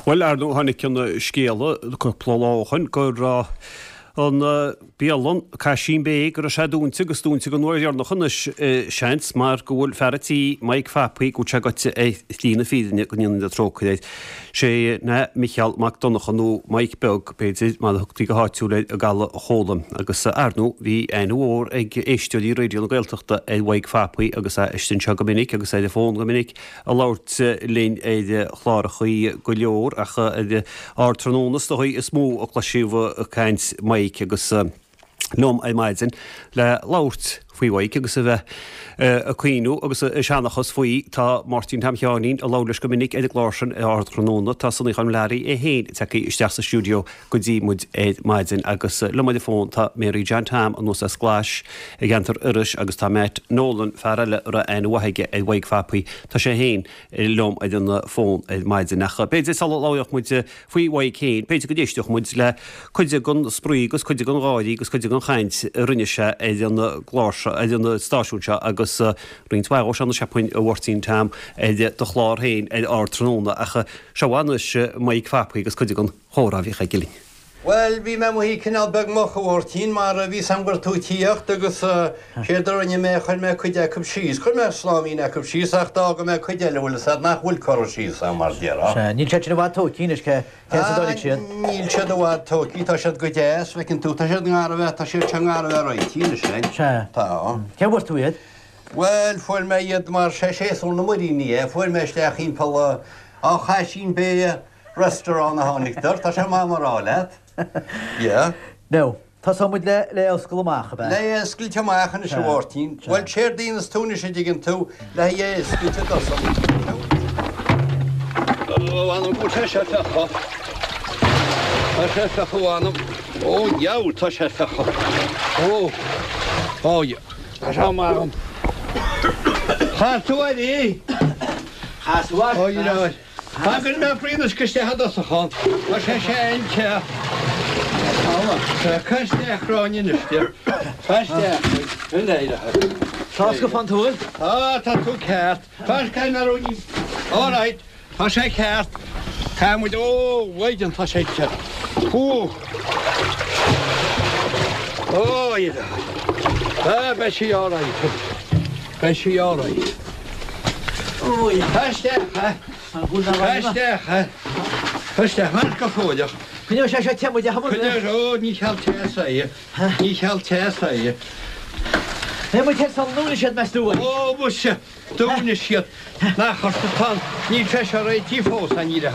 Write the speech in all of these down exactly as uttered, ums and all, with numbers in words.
Bhuel, ar ndóigh, tháinig an scéala cúpla lá ó shoin go raibh an bialann Caisín Bé, go raibh sé dúnta agus dúnta don uair dheireanach anois, seans, mar go bhfuil fear a' tí, Mike Phapaí, go bhfuil sé goite ar shlí na fírinne, go ndéana Dia trócaire air. Sé ná Micheál Mac Donncha, nó Mike Beag, b'fhéidir, mar a thugtaí go háitiúil air i gCaladh Chóla. Agus, ar ndóigh, bhí aithne mhór ag éisteoirí Raidió na Gaeltachta ar Mhaidhc Phapaí agus é istigh anseo go minic agus ar an bhfón go minic ag labhairt linn ar chlárachaí go leor ach ar Ardtráthnóna is dóigh is mó a cloisíodh caint Mhaidhc agus liom ar maidin le labhairt faoi Mhaidhc agus a bheith ag caoineadh agus ag seanchas faoi. Tá Máirtín Tom Sheáinín a labhair leis go minic ar an gclár sin ar Ardtráthnóna. Tá Sonaí Choilm Learaí é féin tagtha isteach sa stiúideo go dtí muid ar maidin agus liom ar an bhfón tá Mary John Tom anuas as Glais i gceantar Iorrais agus tá Matt Nolan, fear eile a raibh aithne mhaith aige ar Mhaidhc Phapaí, tá sé féin liom ar an bhfón ar maidin. Ach b'fhéidir sula labhródh muid faoi Mhaidhc féin, b'fhéidir go d'éisteodh muid le cuid den spraoi agus cuid den gháirí agus cuid den chaint a rinne sé ar an gclár seo, ar an stáisiún seo agus roinnt mhaith dhó seo anois cheapfainn a Mháirtín Tom ar do chlár féin ar Ardtráthnóna. Ach seo anois Maidhc Phapaí agus cuid den chomhrá a bhíodh aige linn. Bhuel, bhí mé amuigh cineál beag moch, a Mháirtín, mar bhí 's a'm go raibh tú ag tíocht agus séard a rinne mé, chuir mé cuid acu síos. Chuir mé sláimín acu síos ach d'fhága mé cuid eile, bhfuil 'fhios a'd, nach bhfuil curtha síos a'm, mar déarfá. Sea, níl siad sin i bhfad tógtha anois, cé cén sa dóigh siad? Níl siad i bhfad tógtha, tá siad go deas, feiceann tú, tá siad i ngar a bheith, tá siad seo i ngar a bheith réitithe anois, hein. Sea. Tá. Cé bhfuair tú iad? Bhuel, fuair mé iad mar sé séasúr na muiríní é, fuair mé isteach thimpeall an Chaisín Bay Restaurant a tháinig tá sé maith mar rá leat. Yeah. Now, tosóidh muid le le oscailt amach, ab ea? Le oscailt amach anois a Mháirtín. Bhuel, séard a dhéanas tú anois a dtuigeann tú le haghaidh oscailt i dtosach. Ó, anam go bhfuil sé seo feicthe. Tá sé feicthe anam. Ó, dheabhal, tá sé feicthe. Ó, ó, tá sé maith agam. Chas tú air é? Chas tú air? Ó, dheabhal. Tagann mé faoin isteach i dtosach ann. Tá sé sé te. Tá isteach ráin anois. Tá isteach. Tá go fan tú? Tá tá tú ceart. Tá cai na ruí. All right. Tá sé ceart. Tá muid ó bhaidin tá sé ceart. Ó. Ó Tá beidh sí all right. Beidh sí all right. Tá isteach, ha? Tá isteach, ha? Tá isteach, mar go fóileach. Coinneoidh sé seo te muid a Coinneoidh ó ní cheal teas é. Ní cheal teas é. Né muid san dúna siad meas tú? Ó muise dúna siad nach tá níl sé seo réitithe fós an ní le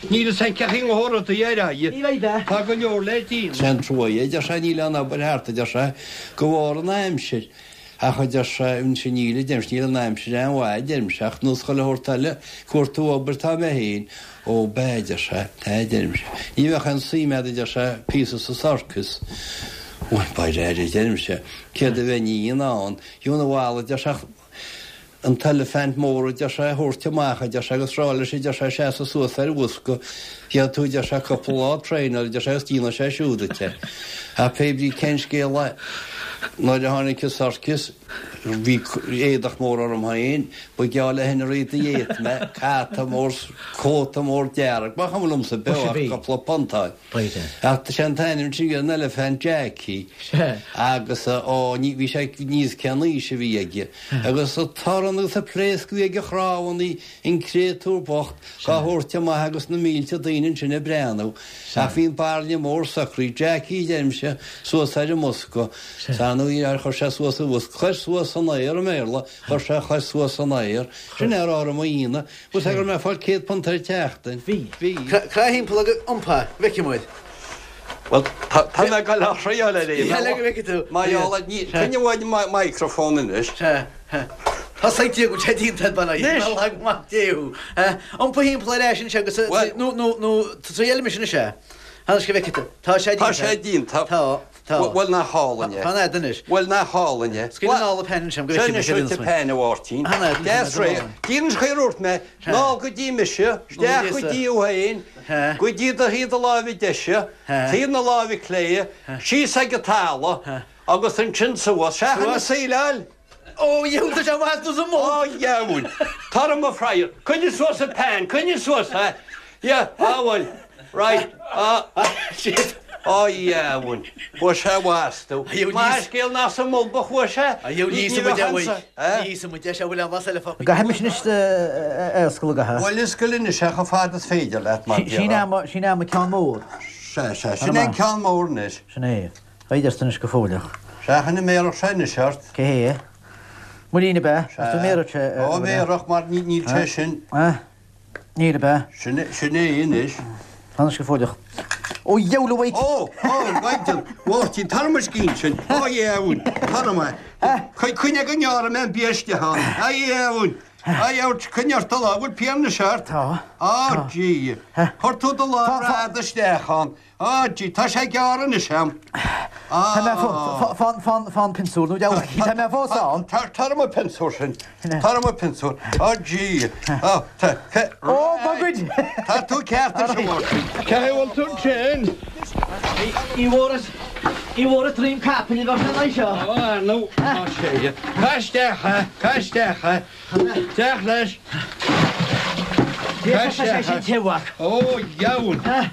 Níl san ceach ngóra do ar Ní bheidh Tá go leor le déanamh. Sé an trua é, deir sé níl an obair thart, deir sé go bharr an aimsir. Ach deir sé sin níl deim níl an aimsir an mhaith deim seach nó chuile shórt eile cuartú obair tá mé féin ó b'fhéidir sé tá deim sé. Ní bheadh an suim agat deir sé píosa sa sorcas. Bhuel ba air deim sé céard a bheith ní an Dúna bhla deir sé an t-eilifint mór deir sé thabhairt amach deir sé agus rá leis deir sé seasamh suas ar bhosca Gheall tú deir sé cúpla lá traenáil deir sé agus déanfaidh sé siúd duit. A pé brí cén scéal é nuair a tháinig an sorcas bhí éadach mór orm féin, ba gheall le Henry the Eighth mé, hata mór cóta mór dearg, ba chuma liomsa beo ach cúpla puntáil. Ach sé an t-ainm sin an Elephant Jackie agus ó ní bhí sé níos cén aois a bhí aige. Agus a torann agus a pléasc bhí ag a chrábhannaí an créatúr bocht dhá thabhairt amach agus na mílte daoine ansin ag breathnú. Ach bhí an bairille mór socraithe Jackie deirimse suas ar an mbosca. Sanú ar chuir sé suas an bhosca, chuir suas an aer i mBéarla, chuir sé chuir suas an aer. Sin é rá mo aoine, Bhus gur mé fáil céad punt ar tseachtain. Bhí. Bhí. Crá thimpeall agus iompaigh, bhfeicfidh muid. Well tá mé ag gabháil a thriáil ar é. Le go bhfeicfidh tú. Má Coinne uaidh microphone anois. Tá sa go sé díonta ban maith déú. Iompaigh thimpeall ar ais anseo agus nó nó nó triail mise anseo. Tháinig go bhfeicfidh tú. Tá sé Tá sé díonta. Tá. Tá. Bhuel nach hálainn é. Fan anois. Bhuel nach hálainn é. Scaoil an ála peann sem go Sin is peann a Mháirtín. Deas ré. Díon chuir mé ná go dtí mise, isteach go dtí ó féin, go dtí do thaobh na láimhe deise, taobh na láimhe clé, síos ag an talamh agus ansin suas. Seachan na saoileáil. Ó dheabhal sé bhas tú sa mó. Ó dheabhal. Tar mo phrair. Coinnigh suas an peann, coinnigh suas é. Yeah, ah bhuel. Right. Ah, shit. Ó yeah, bhuel. Chuaigh sé bhastú. Má scéal nach sa mbolg a chuaigh sé. Ní bheadh ansa. Ní íosfaidh muid é, sea, bhfuil aon bhlas eile fágtha. Gcaithfidh mise anois a oscailt go ha. Bhuel, oscail anois é chomh fada is féidir leat, mar Sin é mo, sin é mo ceann mór. Sea, sea, sin é an ceann mór anois. Sin é. Eidearst anois go fóilleach. Seachain an mbéarfadh sé anois ort. Cé hé? Muirín ab ea? Ach tú mbéarfadh sé. Ó, bhéarfadh, mar níl sé sin. Níl ab ea? Sin sin é anois. Anois go fóilleach. Ó, dheabhail a mhaidhc! Ó, ó, Mhaighdean Mháirtín, tar mo scian sin. Ó, dheabhail, tar amach. Coinnigh go ngearrfaidh mé an bia isteach ann. A dheabhail, a dheabhail, coinnigh ort do lámh, bhfuil pian anois ort? Tá. Ó, Dia. Chuir tú do lámh fhada isteach ann. Á, gee, tá sé gearr anois a'm. Tá mé fán, fán, fán pionsúr nó deabhal, tá mé fós ann. Tar, tar mo pionsúr sin. Tar mo pionsúr. Á, gee. Á, tá, tá. Ó, mo ghoid! Tá tú ceart anois, a Mháirtín. Cé bhfuil tú ansin? Ní bhfuaras, ní bhfuaras droim capaill a bheadh sé an aghaidh seo. Ó, ar ndóigh, tá sé. Caith isteach é, caith isteach é. Isteach leis. Tá sé sin te, a mhac. Ó, dheabhail. Tá.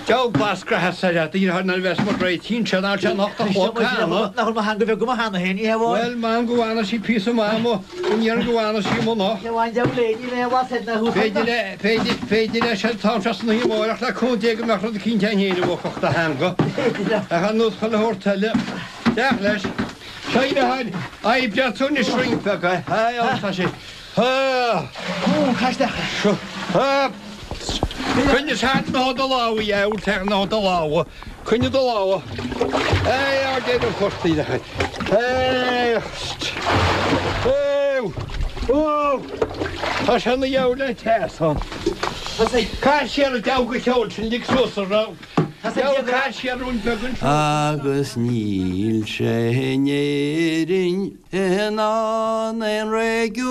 Deabhal glas creatha soir at the nuair a bheas muid réidh tchíonn sé nach sé an ocht a chlog cheana. Nach bhfuil mo theanga bheag agam cheana féin, ní hea amháin. Bhuel, m'anam go bhfana sí píosa maith amuigh, go ndéarfainn go bhfana sí amuigh anocht. Ní amháin deabhal é, níl aon bhlas air ná thuas B'fhéidir le, b'fhéidir, b'fhéidir leis an t-am seo san oíche amárach le cúnamh Dé go mbeadh rud eicínt ann féin a bhuafadh do theanga. Ach ar nós chuile shórt eile, isteach leis. Seo í le haghaidh oibre tú anois roinnt beag, eh? Aye, tá sé. Coinnigh seat ná do lámha, a dheabhail, teach ná do lámha. Coinnigh do lámha. Éigh, á déanamh portaí le haghaidh. Éigh, ó, tá sé ina dheabhail an teas ann. Caith siar an deabhal go ceol sin, lig suas a raibh. Deabhal, caith siar rún beag anseo. Agus níl sé in Éirinn in ann aon réigiún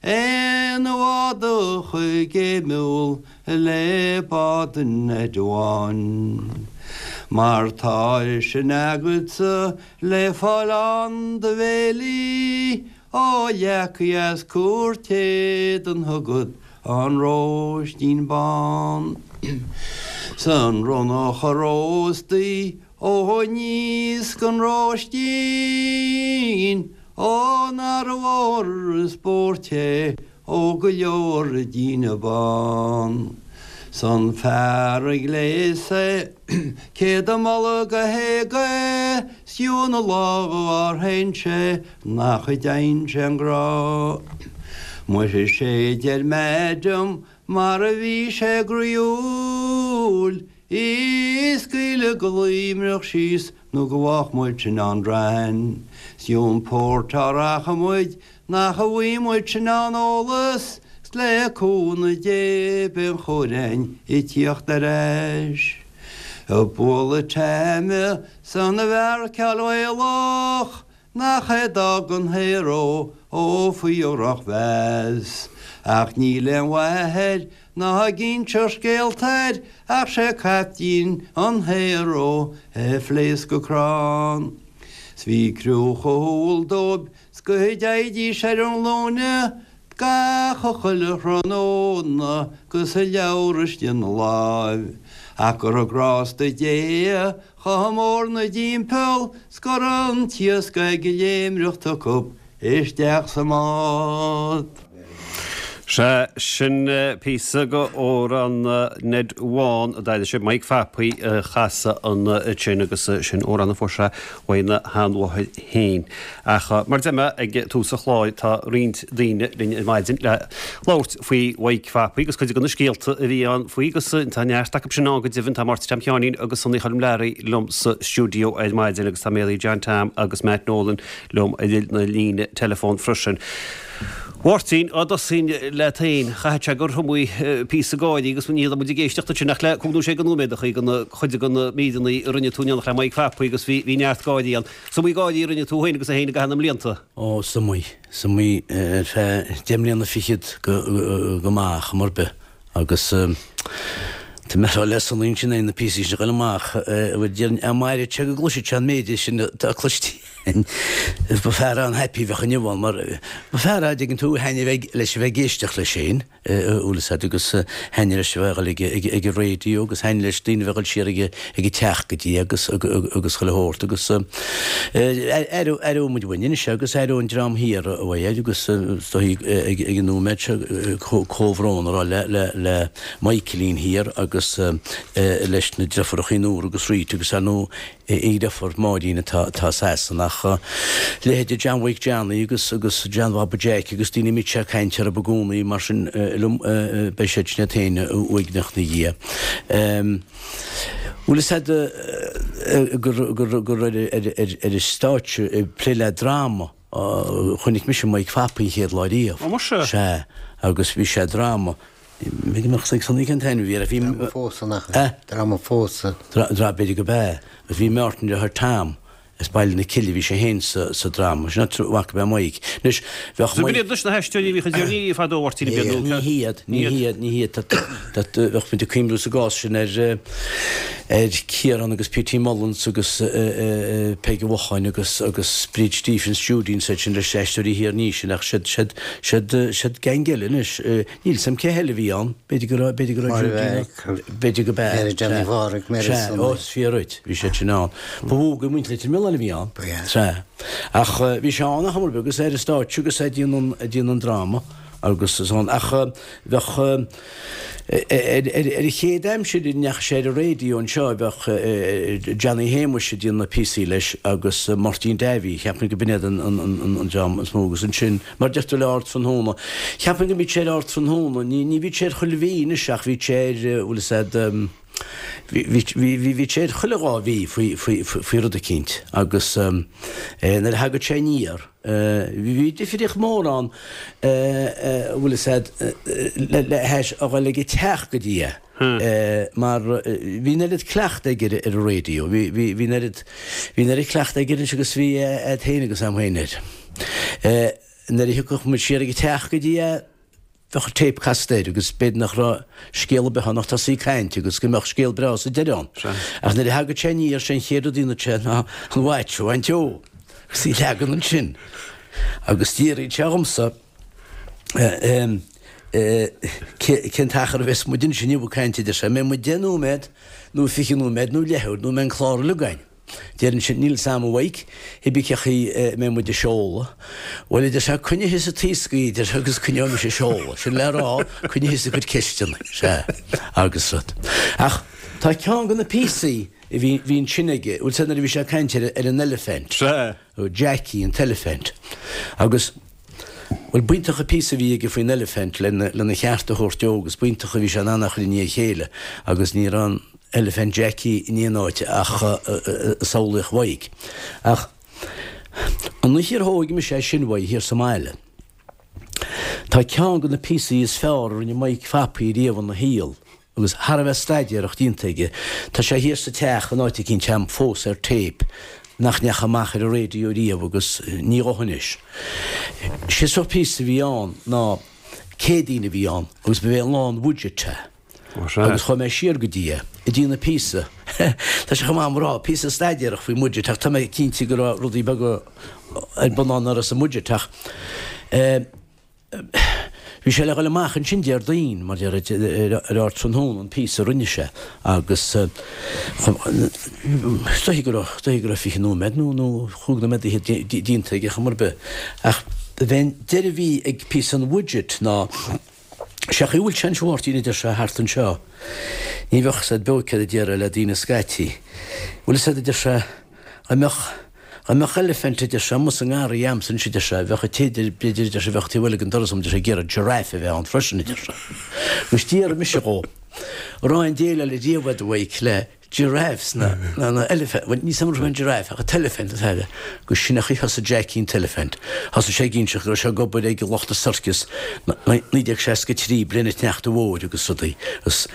aon bhád a choigéimiúil le bád an Ned Bháin. Mar tá sin agatsa le fáil ann do bhéilí ó leacaí as cúirt éadan thugad an Róistín Bán. 'S an ronnach a róstaí ó aníos gon Róistín, ó nár mhór an spórt é ó go leor daoine bán. 'S an fear a ghléas é cé do mholadh go héag é 's fiú na lámha ár shéan sé nach dtearn sé an grá. Muise sé deir Madam mar a bhí sé groíúil í scaoileadh go luimneach síos nó go bhfágfadh muid sin an drain. 'S ón port a rachadh muid nach bhfaighidh muid sin an eolas 's le cúnamh Dé beidh an chóir a'inn ag tíocht ar ais. Ag bualadh taime san a bhfear cealbhaolach Nach é d'fhág an hero ó faoi dhrochmheas. Ach níl aon mhaith air ná ag inseacht scéalta air ach sé caiptín an hero a phléasc go crann. 'S bhí criú chomh humhal dóibh 's go dteighdís ar a nglúine gach a chuile thráthnóna 'gus a leabhar istigh ina láimh. Ach go raibh grásta Dé chomh mór 'na dtimpeall 's go raibh an t-iasc ag léimreacht acu isteach sa mbád. Sea, sin píosa go amhrán Ned Bhán a d'aithin sibh, Mike Phapaí a chasadh an sin agus sin amhrán a fuair sé uaidh a sheanmháthair féin. Ach mar a deir mé ag tús an chláir tá roinnt daoine linn ar maidin le labhairt faoi Mhaidhc Phapaí agus cuid de na scéalta a bhí ann faoi agus tá neart acu sin ann go deimhin. Tá Máirtín Tom Sheáinín agus Sonaí Choilm Learaí liom sa stiúideo ar maidin agus tá Mary John Tom agus Matt Nolan liom ar na líne teileafóin freisin. Mháirtín, á dtosóinn leat féin, chaithfeadh sé gur iomaí píosa gáirí agus ní raibh muid ag éisteacht ansin ach le cúig nó sé de nóiméadachaí de chuid de na míreanna a rinne tú in éineacht le Mike Phapaí agus bhí bhí neart gáirí ann. Is iomaí gáirí a rinne tú féin agus é féin i gcaitheamh na mblianta. Ó, is iomaí, is iomaí ar feadh deich mbliana fichead go go maith, chuma ar bith. Agus Tá mé ag rá le Sonaí ansin é na píosaí sin a ghoil amach, bhuel déarfainn amárach go gcloisfidh sé an méid sin atá cloiste againn. Ba fear an-happy a bheadh inniu ann mar ba fear a' dtuigeann tú thaitneamh ag leis a bheith ag éisteacht leis féin, bhfuil fhios a'd agus thaitneamh leis a bheith ag dul ag ag ag an raidió agus thaitneamh leis daoine a bheith ag dul siar ag ag an teach go dtí agus agus chuile shórt agus aireoidh muid uainn anois agus aireoidh an dream thiar uaidh agus is dóigh ag ag an nóiméad seo comhbhrón a rá le le le Michaelín thiar agus leis na deirfiúrachaí Nóra agus Rita agus ar ndóigh a dheirfiúr Máirín atá atá i Sasana ach leithéide John Mhaidhc Johnny agus agus John Bhaba Jeaic agus daoine a mbíodh sé ag caint orthu i gcónaí mar sin liom beidh siad sin iad féin uaigneach 'na dhiaidh. Bhfuil fhios a'd gur gur gur ar ar ar ar an stáitse ag plé le dráma chonaic mise Mike Phapaí an chéad lá riamh. Ó muise! Sea agus bhí sé dráma B'fhéidir go mbeadh ag Sonaí cén t-ainm a bhí air bhí Dráma phósadh nach ea? Dráma phósadh. Dra b'fhéidir go b'ea. Agus bhí Martin deartháir Tom as Baile na Cille bhí sé féin sa sa dráma. Sin áit a bhfaca mé Mike. Anois bheadh B'in iad anois na haisteoirí a bhíodh ag déanamh fadó a Mháirtín a b'in Ní hiad, ní hiad, ní hiad. Bheadh muid ag cuimhniú sa gcás sin ar ar Ciarán agus P.T. Mullins agus Peig Uí Mhocháin agus agus Bríd Stephens, Judy and such sin leis na haisteoirí thiar ní sin ach siad siad siad siad gang eile anois. Níl 's a'm cé heile a bhí ann, b'fhéidir go raibh, b'fhéidir go raibh Máire Judy Mhac, b'fhéidir go b'ea, Mary Johnny sea, Mhádraig, Mary sea, Sonny. ó is fíor dhuit, bhí siad sin ann. Ba mhó go muintir Leitir Mealláin a bhí ann, Ba ea. sea. Ach bhí sé ann ar chuma ar bith agus ar an stáitse agus é ag déanamh an, ag déanamh an dráma agus is ann. Ach bheadh, ar an chéad aimsir a ndeachaigh sé ar an raidió anseo bheadh Johnny Shéamuis ag déanamh na píosaí leis agus Máirtín Davy, cheapfainn go b'in iad an dream is mó agus ansin, mar deirtear le Ardtráthnóna, cheapfainn go mbíodh sé ar Ardtráthnóna, ní ní bhíodh sé ar chuile mhí anois ach bhíodh sé ar, bhfuil fhios a'd, bhí bhí sé ar chuile dhá mhí faoi faoi faoi rud eicínt agus nuair a thagadh sé aniar, Bhí difríocht mhór ann, bhfuil fhios a'd, le hais a dhul ag an teach go dtí é, mar bhí an oiread cleachta aige ar an raidió, bhí, bhí, bhí an oiread, bhí an oiread cleachta aige anois agus bhí a'd féin agus a'm féin air. Nuair a thiocfadh muid siar ag an teach go dtí é, bheadh an téip casta air agus b'fhéidir nach raibh scéal ar bith ann ach tosaí ag caint agus go mbeadh scéal breá sa deireadh ann. Ach nuair a thagadh sé aniar, sé an chéad rud a dhéanadh sé ná an watch a bhaint dhó agus í a leagan ansin agus d'fhiafraíodh sé dhomsa cén t-achar a bheas muid ansin inniu ag caint, a deir sé, an mbeidh muid deich nóiméad nó fiche nóiméad nó leathuair nó an mbeidh an clár uilig againn? Deirimse, níl 'fhios a'm a Mhaidhc, cibé cén chaoi a mbeidh muid ag seoladh. Bhuel, a deir sé, coinnigh thusa an taoscaí, a deir sé, agus coinneoidh mise ag seoladh. Sin le rá, coinnigh thusa ag cur ceisteanna. Sea, agus rud. Ach tá ceann de na píosaí a bhí, bhí ansin aige, bhfuil 'fhios a'd nuair a bhí sé ag caint ar, ar an eilifint. Sea. Jackie, an t-eilifint. Agus, bhuel, b'iontach an píosa a bhí aige faoin eilifint lena, lena cheart a thabhairt dó agus b'iontach a bhí sé in ann é a chur i ndiaidh a chéile agus ní raibh an, Eilifint Jackie in aon áit ach i samhlaíocht Mhaidhc. Ach an oíche ar thóig mise é sin uaidh thiar sa mbaile, tá ceann de na píosaí is fearr a rinne Mike Phapaí riamh ina shaol agus thar a bheith staidéarach déanta aige. Tá sé thiar sa teach in áit eicínt a'm fós ar téip nach ndeachaigh amach ar an raidió riamh agus ní ghabhfaidh anois. Sé sórt píosa a bhí ann ná Céadaoin a bhí ann agus ba é lá an bhudget é. Agus chuaigh mé siar go dtí é, ag déanamh píosa, tá sé chomh maith a'm a rá, píosa staidéarach faoin mbudget ach tá mé cinnte go raibh rudaí beaga ar bun ann nach raibh sa mbudget ach eh bhí sé le dhul amach ansin Déardaoin, mar deir ar Ardtráthnóna an píosa a rinne sé agus is dóichí go raibh, dóichí go raibh fiche nóiméad nó nó chúig nóiméad d'fhichead déanta aige chuma ar bith ach b'é an deireadh a bhí ag píosa an bhudget ná Sé an chaoi a bhfuil sé anois a Mháirtín a deir sé thart anseo. Ní bheadh 'fhios a'd beo céard a déarfá le daoine scaití. Bhfuil 'fhios a'd a deir sé, dá mbeadh, dá mbeadh eilifint a deir sé, amuigh sa ngarraí a'msa anois a deir sé, bheadh an té b'fhéidir a deir sé bheadh taobh eile den doras a'm a deir sé ag iarraidh giraffe a bheith ann freisin a deir sé. Agus d'fhiafraigh mise dhó, an raibh aon déileáil riamh a'd a Mhaidhc le giraffes ná ná elephant, bhuel níl 'fhios a'm an raibh an giraffe ach an t-elephant atá aige, agus sin é an chaoi a thosaigh Jackie an t-elephant. Thosaigh sé ag inseacht go raibh sé ag obair ag lucht an circus naoi déag seasca trí, bliain an tSneachta Mhóir agus rudaí, agus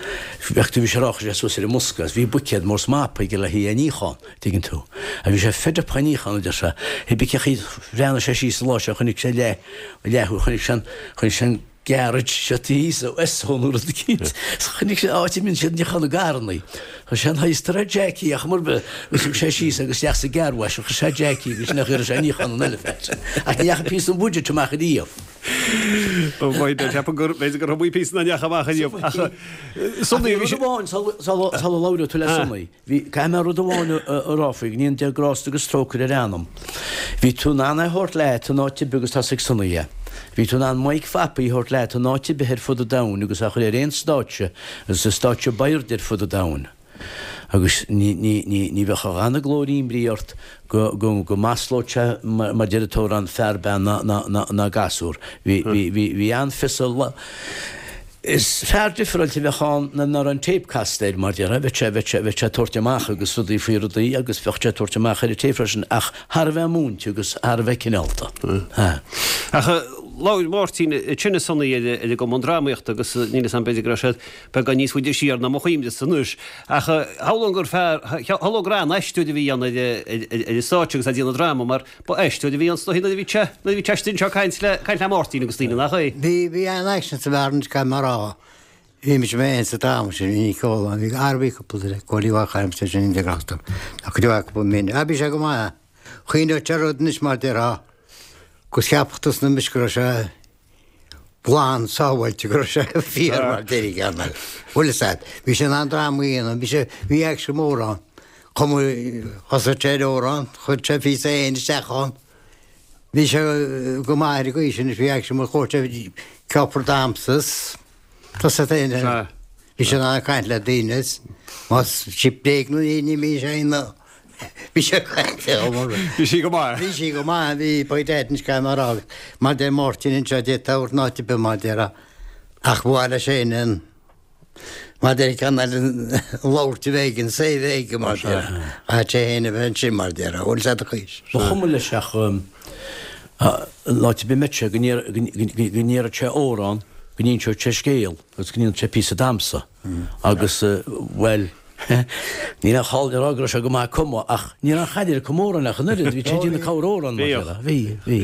bheadh bhí sé ag rá chuir sé suas ar an mbosca agus bhí buicéad mór is mapa aige le haghaidh é a níochán, tuigeann tú. Agus bhí sé fed up á níochán, a deir sé, cibé cén chaoi bhreathnaigh sé síos an lá seo chonaic sé leath, leath, chonaic sé an, chonaic sé an, garage seo thíos ó Esso nó rud eicínt. Chonaic sé áit a mbíonn siad ag níochán na gcarrannaí. Chuir sé an heister ar Jackie ach mar bith agus thug sé síos agus isteach sa car wash a chuir sé Jackie agus nach raibh sé ag níochán an eile. Ach ní dheachaigh píosa den budget amach ariamh. Ó mhaith, ceapaim gur b'fhéidir gur iomaí píosa nach ndeachaigh amach ariamh. Ach Sonny, bhí sé. Rud amháin sula labhróidh tú le Sonny. Bhí, caithfidh mé rud amháin a rá faoi, go ndéana Dia grásta agus trócaire ar a anam. Bhí tú in ann é a thabhairt leat in áit ar bith agus tá's ag Sonny é. Bhí tú in ann Mike Phapaí a thabhairt leat in áit ar bith ar fud an domhain agus a chur ar aon stáitse agus an stáitse ab airde ar fud an domhain. Agus ní, ní, ní, ní bheadh a dhath na glóirín brí ort go, go, go maslódh sé mar deir an t-amhrán fear, bean ná, ná, ná, ná gasúr. Bhí, bhí, bhí, bhí an-fhios Is fear difreáilte a bheadh ann ná ná raibh an téip casta air, mar déarfá. Bheadh sé, bheadh sé, bheadh sé ag tabhairt amach agus rudaí faoi rudaí agus bheadh sé ag tabhairt amach ar an téip freisin ach thar a bheith múinte agus thar a bheith cineálta. Ach labhair Máirtín ansin a Sonny ar an gCumann Drámaíochta agus níl 'fhios a'm b'fhéidir go raibh siad beagán níos faide siar ná mo chuimhne-sa anois ach shamhlóinn gur fear, shamhlóinn gur an-aisteoir a bhí ann ar an stáitse agus ag déanamh dráma mar ba aisteoir a bhí ann is dóichí nuair a bhí sé, nuair a bhí sé istigh anseo ag caint le, caint le Máirtín agus daoine, nach é? Bhí, bhí an-aicsean sa bhfear anois caithfidh mé a rá. Bhí mise mé féin sa dráma sin, bhí Nic Eola, bhí Arbí cúpla duine, Cóilí Mhac Aimse sin India Grásta, ach cuid mhaith cúpla míle. Ah, bhí sé go maith. Chuimhneodh sé rud anois mar déarfá, gus cheapfadh tusa anois go raibh sé glan sábháilte, go raibh sé fíor mar déarfaidh ceann eile. Bhfuil fhios a'd, bhí sé in ann dráma a dhéanamh, bhí sé, bhí aicsean mór ann. Chum, thosaigh sé ar amhrán, chuir sé píosa féin isteach ann. Bhí sé go maith ar an gcaoi sin, bhí aicsean mór, chuir sé cófra damhsa is tusa féin air. Bhí sé in ann caint le daoine is más sí bréag nó ní ní bhí sé ina bhí sé ag caint leo mar Bhí sí go maith. Bhí sí go maith, bhí by dad anois caithfidh mé a rá mar deir Máirtín anseo d'fhéadfá a thabhairt in áit ar bith mar déarfá ach ba mhaith leis féin an Mar deir ceann eile labhairt a bheith aige, an say a bheith aige mar déarfá. Chaithfeadh sé féin a bheith ansin mar déarfá. Bhfuil fhios a'd an chaoi. Ba chuma leis ach in áit ar bith a mbeadh sé go ndéarfadh sé amhrán, go n-inseodh sé scéal agus go ndéanfadh sé píosa damhsa agus, bhuel, Níl aon chall le rá go raibh sé go maith ag cumadh ach ní raibh aon chaid air ag cumadh amhrán ach an oiread, bhí sé ag déanamh corramhrán mar déarfá. Bhí, bhí,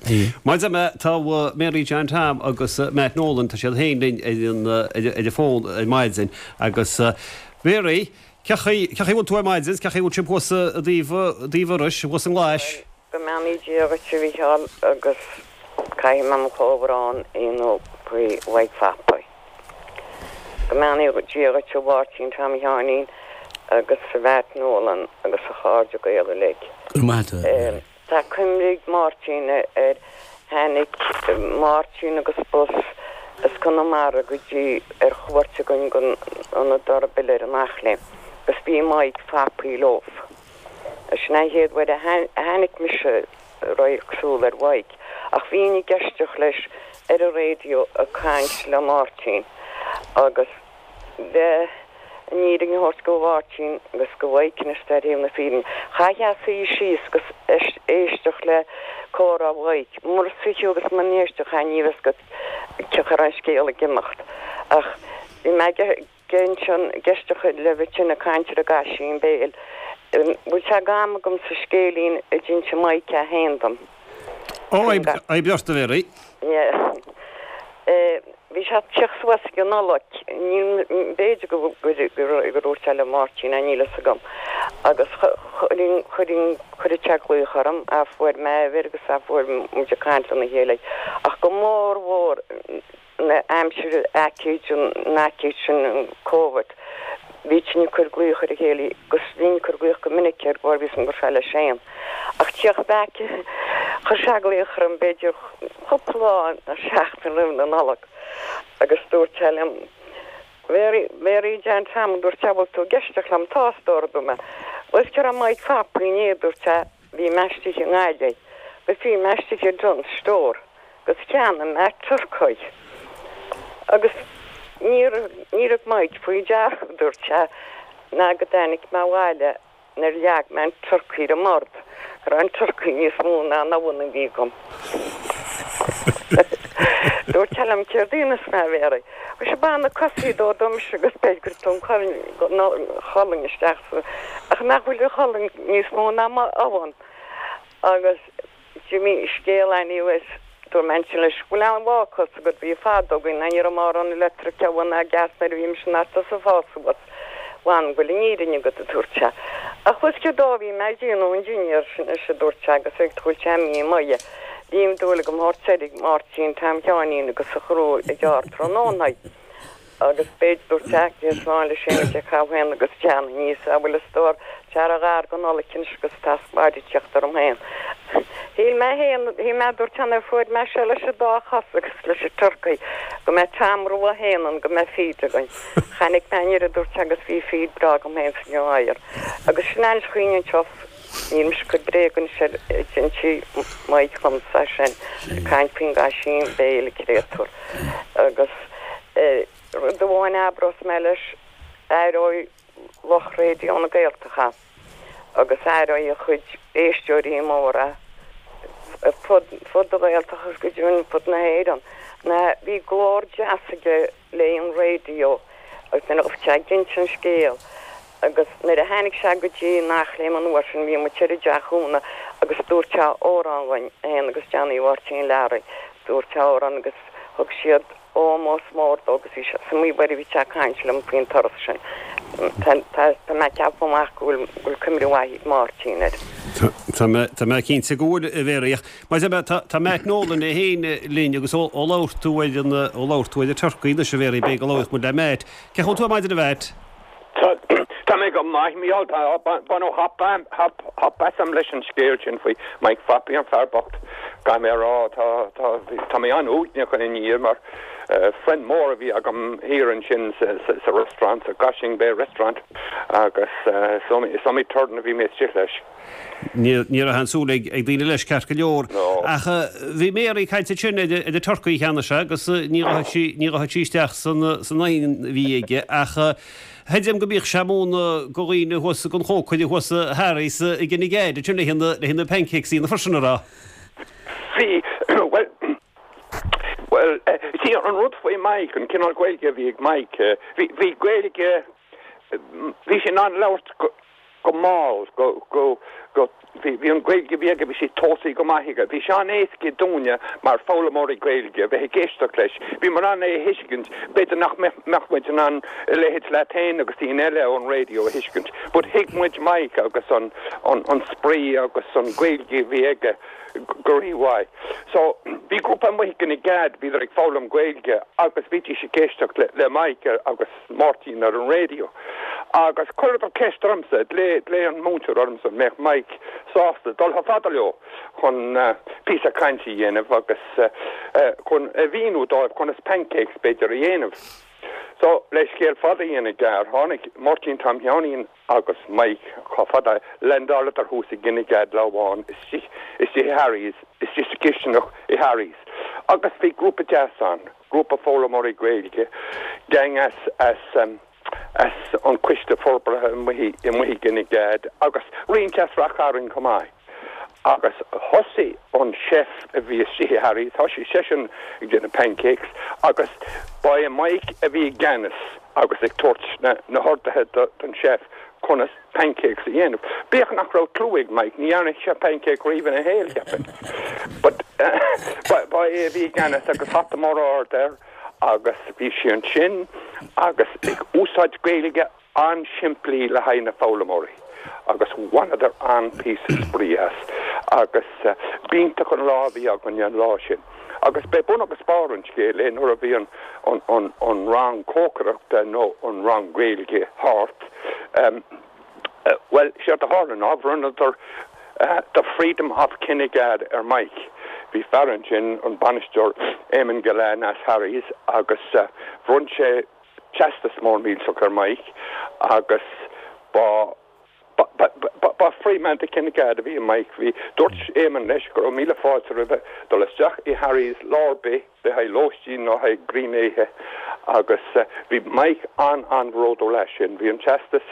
bhí. Maidir le tá Mary John Tom agus Matt Nolan, tá siad féin linn ar an ar an bhfón ar maidin agus Mary, cén chaoi, cén chaoi a bhfuil tú ar maidin, cén chaoi a bhfuil sibh thuas i dtaobh, i dtaobh Iorrais, thuas i nGlais? Go mbeannaí Dia dhuit a Mhícheáil agus caithfidh mé mo chomhbhrón a dhéanamh faoi Mhaidhc Phapaí. Go mbeannaí Dia dhuit a Mháirtín Tom Sheáinín agus a Mhatt Nolan agus a chairde Gael uilig. Go raibh maith agat a Mary. Tá cuimhne ag Máirtín ar tháinig Máirtín agus bus as Conamara go dtí ar chuairt againn gon Ionad Dorbill ar an Eachléim agus bhí Maidhc Phapaí leo. Sin an chéad uair a tháinig mise radharc súl ar Mhaidhc, ach bhínn ag éisteacht leis ar an raidió ag caint le Máirtín agus le an fhírinne a thabhairt go Mháirtín agus go Mhaidhc anois ar thaobh na fírinne, chaithfeá suí síos agus éisteacht le comhrá Mhaidhc. Mura suífeá agus mura n-éistfeá ní bheadh fhios agat cén chaoi a raibh an scéal ag imeacht. Ach bhí mé ag. Ansin ag éisteacht le bheith tinn ag caint ar an gCaisín Béil. Bhfuil sé d'am agam sa scéilín a d'inse Maidhc é féin dom. Ó, oibrigh ort, a Mhary. Bhí sé ag teacht suas ag an Nollaig. Níl, b'fhéidir go gur dhúirt sé le Máirtín é, níl fhios agam. Agus chuirfinn, chuirfinn, chuireadh sé glaoch orm, a fuair mé a uimhir agus a fuair muid ag caint lena chéile. Ach go mór mhór, na aimsire aicíd, an aicíd sin, an Covid, bhítinn ag cur glaoch ar a chéile agus bhínn ag cur glaoch go minic air go bhfios dom go raibh sé leis féin. Ach tíocht back, chuir sé glaoch orm b'fhéidir cúpla lá nó seachtain roimh na Nollag agus dúirt sé liom, Mary, Mary Jane Tom, dúirt sé, bhfuil tú ag éisteacht liom, tá, a stór, a dúirt mé. Bhuel, cé raibh Mike Phapaí inné, dúirt sé, bhí mé istigh i nGaillimh agus bhí mé istigh i Dunnes Store agus cheannaigh mé turcaí agus níor níor thug Mike faoi deara, dúirt sé, ná go dtáinig mé abhaile nuair a leag mé an turcaí ar an mbord go raibh an turcaí níos mó ná an abhann a bhí agam. Dúirt sé liom céard a dhéanfas mé, a Mhéaraí? Mhuise bain na cosaí dó domsa agus beidh gur tú an cholainn isteach sa ach nach bhfuil an cholainn níos mó ná m'abhann agus d'imigh scéal anyways Dúirt mé ansin leis, Bhfuil aon bhácás agat? Bhí fad againn, ní raibh mórán leictreach ann ná gas nuair a bhí mise in ata sa fás suas. Bhuel, an bhfuil an fhírinne agat, a dúirt sé. Ach bhfuil céard a bhí mé ag déanamh an dinnéar sin anois, a dúirt sé, agus ag tabhairt sé mí maith. Bhí dúil agam thabhairt soir ag Máirtín Tom Sheáinín agus a chrú ag gearr tráthnóna. Agus b'fhéidir, dúirt sé, cé slán leis féin ag caitheamh féin agus teann aníos, a bhfuil a stór, tá a ghar go Nollaig anois agus tá spáid ag teacht orm féin. Shíl mé féin, shíl mé, dúirt sé, nuair a fuair mé seo leis an dá chos agus leis an turcaí, go mbeidh Tom Rua féin ann, go mbeidh feed againn. Chonaic mé an oiread, dúirt sé, agus bhí feed breá agam féin san oighear. Agus sin an chaoi anseo. Níl mise ag cur bréag anois ar d'inis Mike dhomsa sin, ag caint faoin gCaisín Béil, a créatúr. Agus rud amháin a abrós mé leis, aireoidh lucht Raidió na Gaeltachta agus aireoidh a chuid éisteoirí móra fud fud na Gaeltachta agus go deimhin fud na hÉireann, ná bhí glór deas aige le an raidió agus nuair a bhí sé ag inse an scéil agus nuair a tháinig sé go dtí an Eachléim an uair sin bhí muid ar an dteach Úna agus dúirt sé amhrán dhúinn, é féin agus Johnny Mháirtín Learaí, dúirt sé amhrán agus thug siad ómós mór dó agus bhí sé sa maí bhí sé ag caint liom faoin turas sin. Tá tá mé ag ceapadh amach go bhfuil go bhfuil cuimhne mhaith ag Máirtín air. Tá mé tá mé cinnte go bhfuil a Mhéaraí ach mar tá tá Matt Nolan é féin linn agus ó ó labhair tú ar an ó labhair tú ar an turcaí anois a Mhéaraí beidh go labhróidh muid le Matt. Cén chaoi a bhfuil tú ar maidin a Mhatt? Tá mé go maith Mícheál baineadh hap hap asam leis an scéal sin faoi Mike Fappy an fear bocht caithfidh mé a rá tá tá tá mé an-uaigneach ina ndiaidh mar friend mór a bhí agam thiar ansin sa sa sa restaurant sa Gashing Bay restaurant agus is iomaí turn a bhí mé istigh leis. Ní ní raibh an súil ag ag daoine leis ceart go leor. Ach bhí Mary ag caint ansin ar ar an turcaí cheana sé agus ní raibh sí ní raibh sí isteach san san oigheann a bhí aige ach Chreidim go mbíodh sé ag múineadh do dhaoine thuas don chócaire thuas Harry's i Kinnegad ansin le haghaidh na pancakes a dhéanamh freisin an raibh? Bhí, bhuel, bhuel, see an rud faoi Mike, an cineál Gaeilge a bhí ag Mike, bhí, bhí Gaeilge, bhí sé in ann labhairt go, go mall, go, go, go, bhí, bhí an Ghaeilge a bhí aige, bhí sí tosaithe go maith aige. Bhí sé an-éasca dúinne mar foghlaimeoirí Gaeilge a bheith ag éisteacht leis. Bhíomar in ann é a thuiscint, b'fhéidir nach mbeadh muid in ann a leithéid leat féin agus daoine eile ón raidió a thuiscint. But thuig muid Mike agus an, an, an spraoi agus an Ghaeilge a bhí aige go rímhaith. So, bhí grúpa amuigh i Kinnegad, bhíodar ag foghlaim Gaeilge agus bhídís ag éisteacht le, le Mike agus Máirtín ar an raidió. Agus chuireadar ceist ormsa, ghlaoigh an múinteoir ormsa an mbeadh Mike sásta dul chomh fada leo chun píosa cainte a dhéanamh agus chun a mhíniú dóibh conas pancakes b'fhéidir a dhéanamh. So, le scéal fada a dhéanamh gearr, tháinig Máirtín Tom Sheáinín agus Mike chomh fada, landáladar thuas i gCinnegad lá amháin istigh istigh i Harry's, istigh sa chisteanach i Harry's. Agus bhí grúpa deas ann, grúpa foghlaimeoirí Gaeilge, gang as as as an Coiste Forbartha amuigh amuigh i gCinnegad agus roinnt as Rath Cairn chomh maith. Agus thosaigh an chef a bhí istigh i Harry's, thosaigh seisean ag déanamh pancakes agus ba é Mike a bhí i gceannas agus ag tabhairt na na horduithe don chef conas pancakes a dhéanamh. Bíodh nach raibh clue ag Mike, ní dhearna sé pancake riamh ina shaol, cheapfainn. But ba ba é a bhí i gceannas agus hata mór ard air agus bhí sé ansin agus ag úsáid Gaeilge an-simplí le haghaidh na foghlaimeoirí agus bhaineadar an-phíosa spraoi as agus b'iontach an lá a bhí againne an lá sin. Agus b'é bun agus barr an scéil é nuair a bhí an an an an rang cócaireachta nó an rang Gaeilge thart, bhuel, séard a tharla ná bhronnadar The Freedom of Kinnegad ar Mike. Bhí fear ansin, an bainisteoir Eamon Gillane as Harry's agus bhronn sé teastas mór millteach ar Mike agus ba ba free man to Kinnegad a bhí i Mike. Bhí dúirt Eamon leis go raibh míle fáilte roimhe dul isteach i Harry's lá ar bith le haghaidh lóistín nó haghaidh grínéithe agus bhí Mike an-an-bhródúil as sin. Bhí an teastas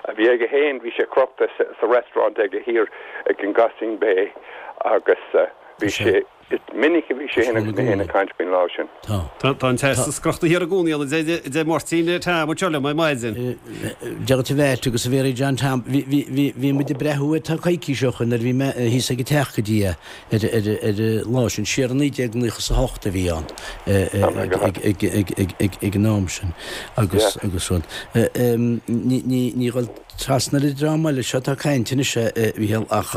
a bhí aige féin, bhí sé crochta sa restaurant aige thiar ag an gCaisín Bay agus bhí sé is minic a bhí sé féin agus mé féin ag caint faoin lá sin. Tá an teastas crochta thiar i gcónaí ann, a deir Máirtín Tom anseo liom ar maidin. Deir tú bheit agus a Mhéaraí John Tom, bhí muid ag breathú air tá coicís ó shoin nuair a bhí mé thíos ag an teach go dtí é ar ar an lá sin, siar i naoi déag naocha is a hocht a bhí ann ag an am sin agus agus rud. Ní dhul trasna ar an dream eile seo atá ag caint anois, a Mhícheál, ach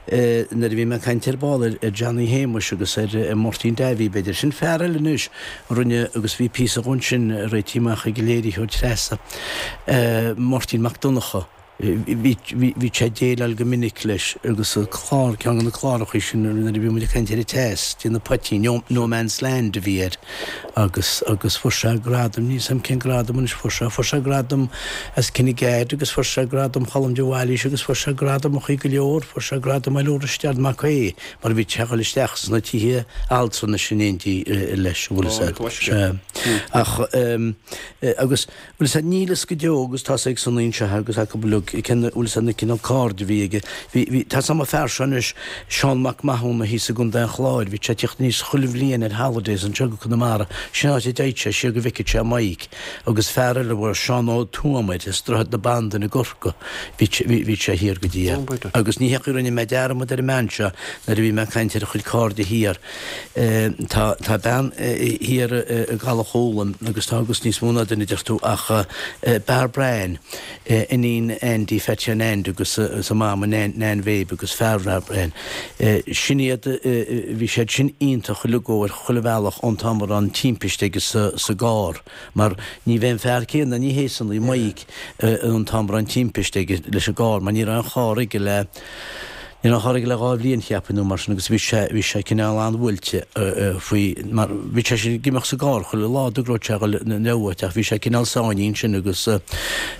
nuair a bhí mé ag caint ar ball ar Johnny Shéamuis agus ar Mháirtín Davy, b'fhéidir, sin fear eile anois a rinne agus bhí píosa dhó ansin réitithe amach ag an léiritheoir Treasa, Máirtín Mac Donncha. Bhí sé ag déileáil go minic leis agus clár, ceann de na clárachaí sin nuair a bhí muid ag caint ar an teas, déanamh poitín, No Man's Land a bhí air agus agus fuair sé gradam, níl 's a'm cén gradam anois fuair sé, fuair sé gradam as Kinnegad agus fuair sé gradam Cholm de Bhailís agus fuair sé gradamachaí go leor, fuair sé gradam Oiliúr Risteard Mac Aodha mar bhí sé ag dul isteach sna tithe altranais in éindí leis, an bhfuil 'fhios a'd. Sea. Ach agus bhfuil 'fhios a'd níl 'fhios go deo agus tá's ag Sonaí anseo agus acu uilig cén bhfuil 'fhios a'd na cineál cairde a bhí aige. Bhí, bhí, tá's a'm an fear seo anois, Seán Mac Mathúna thíos i gContae an Chláir, bhí sé ag tíocht aníos chuile bhliain ar holidays anseo go Conamara, sin áit a dtéadh sé siar go bhfeiceadh sé Mike agus fear eile a raibh Seán Ó Tuama air as Droichead na Bandan i gCorcaigh, bhí, bhí, bhí sé thiar go dtí é. Agus ní hé go rinne mé dearmad ar an mbean seo nuair a bhí mé ag caint ar a chuid cairde thiar. Tá, tá bean thiar i gCaladh Chualann agus tá agus níos mó ná duine deir tú ach Bairbre Ann, iníon Andy Pheaití an Aindí agus a mama Nan Mhéabh agus fear Bhairbre Ann. Sin iad, bhí siad sin iontach uilig ar chuile bhealach ón t-am a raibh an timpiste aige sa gcarr mar ní bheidh an fear céanna, ní hé Sonaí, Mike, an t-am a raibh an timpiste aige leis an gcarr mar ní raibh an carr aige le Ní raibh an carr aige le dhá bhliain cheapfainn nó mar sin agus bhí sé, bhí sé cineál an-bhuailte faoi mar bhí sé ag imeacht sa gcarr chuile lá dá raibh sé ag dul na uait ach bhí sé cineál sáinnithe ansin agus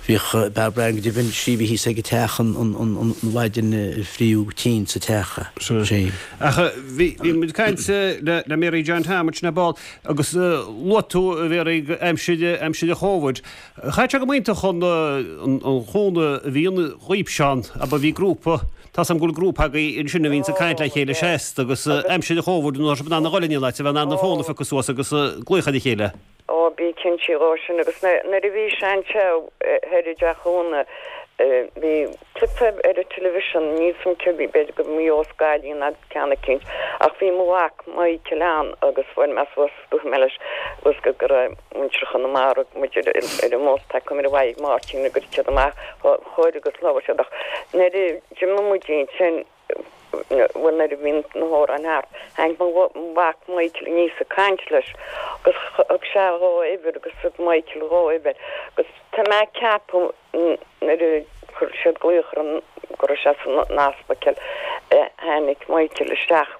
bhíodh Bairbre Ann go deimhin sí bhí thíos ag an teach an, an, an, an mhaidin a fríodh tinn sa teach. Sea. Ach bhí, bhí muid ag caint le, le Mary John Tom ansin ar ball agus luaigh tú a Mhéaraí aimsir, aimsir an Chóvid. Chaith sé go hiontach an, an, an chúnamh a bhí ann dhaoibhse ann, abair bhí grúpa, Tá's a'm go bhfuil grúpa agaibh ansin a bhíonns ag caint le chéile seasta agus aimsir an Chóvid nuair atá sibh in ann a dhul in aon áit a bheith in ann an fón a phiocadh suas agus glaoch ar a chéile. Ó bí cinnte dhó sin agus nuair a bhí sé anseo thoir i dTeach Úna bhí clip ar an television níl 's a'm cé b'fhéidir go Maigh Eo is Gaillimh nó ceann eicínt ach bhí mo mhac Michael ann agus bhuail mé suas dúirt mé leis agus go go raibh muintir Chonamara muid ar ar an mbus tá cuma ar mhaith ag Máirtín go raibh siad amach chóir agus labhair siad ach nuair a d'imigh muid ansin bhuel nuair a bhí na hamhráin thart tháinig mo mhac Michael aníos ag caint leis agus thug sé dhó uimhir agus thug Michael dhó uimhir agus tá mé ag ceapadh nuair a chuir siad glaoch ar an go raibh sé san ospidéal tháinig Michael isteach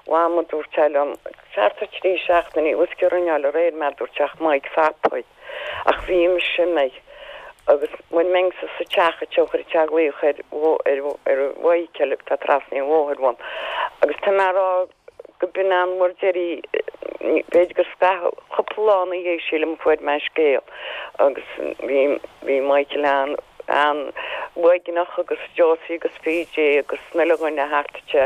Mham a dúirt sé liom thart ar trí seachtainí uisce a rinneáil aréir mé dúirt sé ach Mike Phapaí ach bhí mise imithe agus mura mbeinnse sa teach anseo chuir sé glaoch ar ar ar Mhichael atá trasna an bhóthair uaim agus tá mé a rá go b'in an uair deiridh b'fhéidir gur scaitheamh cúpla lá ina dhiaidh sílim a fuair mé an scéal agus bhí bhí Michael an an uaigneach agus Josie agus PJ agus an uile dhuine thart anseo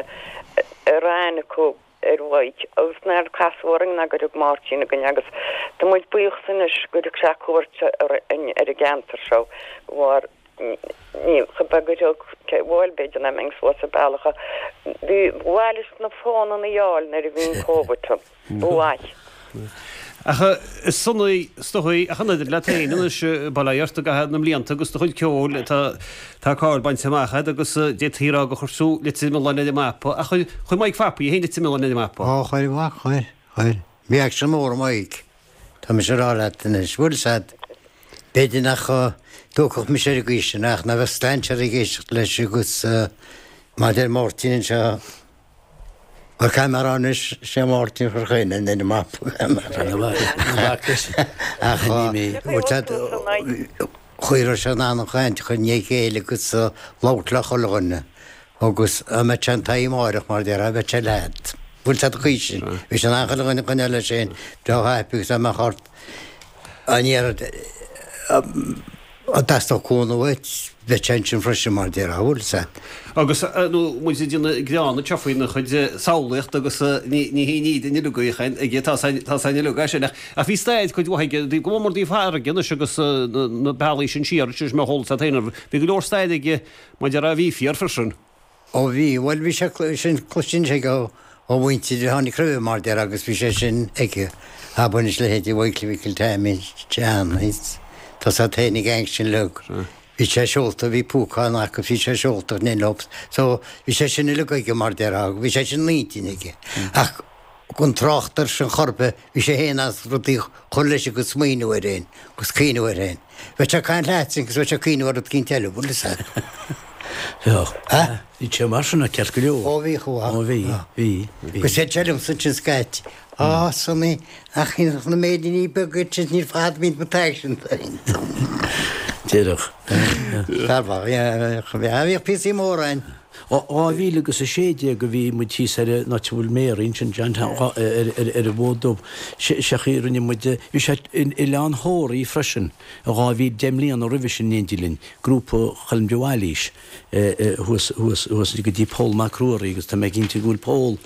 a raibh aithne acu ar Mhaidhc agus nár casadh orainn ná gur thug Máirtín againn agus tá muid buíoch anois gur thug sé cuairt ar an gceantar seo de bharr ní chomh beag gur thug bhuel b'fhéidir nach mbeinn suas an bealach bhí ba mhaith leis na fónanna a fháil nuair a bhí an Covid ann ba mhaith. Ach is sona is dóigh ach an oiread leat féin anois, bail ó Dhia ort i gcaitheamh na mblianta agus do chuid ceoil, tá tá cáil bainte amach agat agus d'fhéadfaí a rá gur chuir tú Leitir Mealláin ar an mapa. Ach chuir chuir Mike Phapaí é féin Leitir Mealláin ar an mapa. Ó, chuir, mhac, chuir, chuir. Bhí aicsean mór ag Mike. Tá mise ag rá leat anois. Bhfuil 'fhios a'd, b'fhéidir nach dtógfadh mise ar an gcaoi sin ach ná bheadh strainséir ag éisteacht leis agus mar a deir Máirtín anseo, Bhuel, caithfidh mé a rá anois, sé Máirtín a chuir Chuinn ar an mapa. Ach chuir sé in ann an chaint a chur i ndiaidh a chéile agus labhairt le chuile dhuine agus dá mbeadh sé an taobh amáireach mar a déarfá bheadh sé leat. Bhfuil 'fhios a'd an chaoi sin. Bhí sé in ann chuile dhuine a choinneáil leis féin breá happy agus dá mbeadh ort an iarraidh Dá dteastódh cúnamh uait, bheadh sé ansin freisin mar déarfá, bhfuil 'fhios a'd. Agus nó muid ag déanamh greann anseo faoina chuid samhlaíocht agus ní ní haon ní den uileag é aige, tá 's a'inn uileag é sin ach ach bhí staid cuid mhaith aige, go mór mór dtaobh farraige anois agus na bealaí sin siar, sin mé a chuala féin, bhí go leor staid aige mar déarfá a bhí fíor freisin. Ó bhí, bhuel bhí sé sin cloisteann sé ó ó mhuintir a tháinig roimhe mar déarfá agus bhí sé sin aige, abair anois leithéidí Mhichael Mhicil Taimín Sheáin, tá 's a'd féin ag an sin uileag. Bhí sé seolta, bhí púcán acu, bhí sé seolta in leo, so bhí sé sin uileag aige mar déarfá, bhí sé sin in intinn aige. Ach gan trácht air sin chor ar bith, bhí sé féin as rudaí a chur leis agus smaoineamh air féin agus cuimhneamh air féin. Bheadh sé ag caint leat agus bheadh sé ag cuimhneamh ar rud eicínt eile, bhfuil 'fhios a'd. Bheadh. Bhí sé mar sin ceart go leor. Ó bhí chomh Ó bhí, bhí, bhí. Agus deir sé liomsa ansin scaití, Á, Sonny, ach na méiríní beaga sin níl fad bíonn na taigh sin. Déarfadh. Bhíodh píosaí móra ann. Dhá mhíle agus a sé déag a bhí muid thíos ar an áit a bhfuil Mary ansin, John Town, ar an bhFód Dubh. Sé chaoi a rinne muid, bhí sé in Oileán Thóraí freisin i dhá mhíle, deich mbliana roimhe sin in éindí linn, grúpa Choilm de Bhailís thuas, thuas, thuas go dtí Pól Mac Ruairí agus tá mé cinnte go bhfuil Pól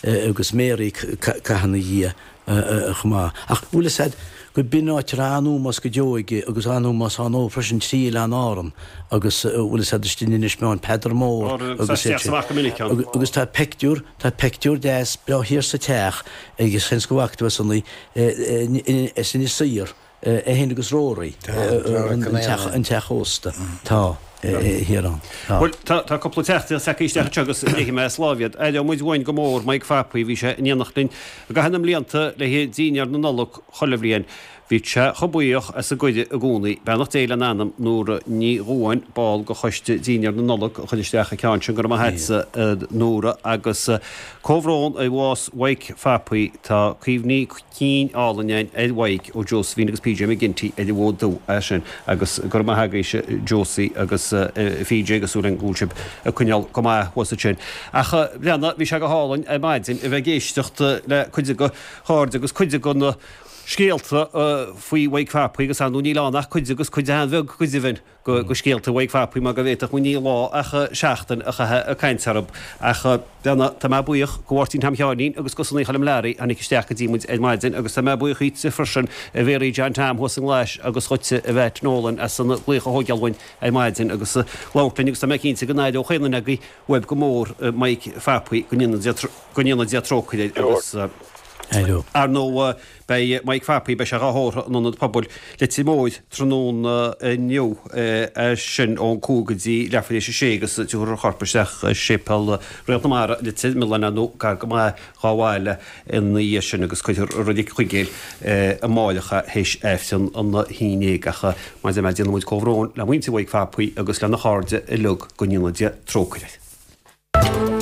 agus Mary curtha ina dhiaidh chomh maith. Ach bhfuil fhios a'd go b'in áit a raibh an-ómós go deo aige agus an-ómós ann ó freisin trí Oileán Árann agus bhfuil fhios a'd istigh in Inis Meáin, Peadar Mór agus iad sin. Agus tá peictiúr, tá peictiúr deas breá thiar sa teach agus seans go bhfaca tú é Sonny, as Inis Oírr. É féin agus Rory, an teach ósta. Tá, thiar ann. Tá. Bhuel, tá, tá cúpla teachtaireacht tagtha isteach anseo agus léifidh mé as láimh iad. Aireoidh muid uainn go mór Mike Phapaí, bhí sé in éineacht linn i gcaitheamh na mblianta le haghaidh dínnéar na Nollag chuile bhliain. Bhí sé chomh buíoch as an gcuireadh i gcónaí. Beannacht Dé lena anam, Nóra Ní Dhubháin, ball de choiste dínnéar na Nollag a chuir isteach an ceann sin. Go raibh maith agatsa, a Nóra. Agus comhbhrón ar bhás Mhaidhc Phapaí. Tá cuimhní cinn álainn againn ar Mhaidhc ó Josephine agus PJ McGinty ar an bhFód Dubh é sin agus go raibh maith agaibhse Josie agus PJ agus súil againn go bhfuil sibh ag coinneáil go maith thuas ansin. Ach a Bhreanna, bhí sé go hálainn ar maidin a bheith ag éisteacht le cuid de chairde agus cuid de na scéalta faoi Mhaidhc Phapaí agus ar ndóigh níl ann ach cuid agus cuid an-bheag go deimhin. de scéalta Mhaidhc Phapaí mar go bhféadfadh muid ní lá ach seachtain a chaitheamh ag caint orthu. Ach Bhreanna, tá mé buíoch go Mháirtín Tom Sheáinín agus go Sonaí Choilm Learaí a tháinig isteach go dtí muid ar maidin agus tá mé buíoch dhíotsa freisin a Mhéaraí John Tom thuas i nGlais agus dhuitse a Mheait Nolan as an glaoch a thógáil uainn ar maidin agus labhairt linn agus tá mé cinnte go n-aireodh chaon duine agaibh uaibh go mór Mike Phapaí go ndéana Dia trócaire air agus Ar ndóigh, beidh Mike Phapaí, beidh sé dhá thórramh in Ionad Pobail Leitir Móir tráthnóna inniu, é sin ón cúig go dtí leathuair tar éis a sé agus tabharfar a chorp isteach i Séipéal Réalt na Mara, Leitir Mealláin nó gar go maith dhá bhaile ina dhiaidh sin agus cuirfear i Reilig Chuigéil amáireach é théis Aifreann an haon déag. Ach mar a deir mé, déanann muid comhbhrón le muintir Mhaidhc Phapaí agus lena chairde uilig, go ndéana Dia trócaire air.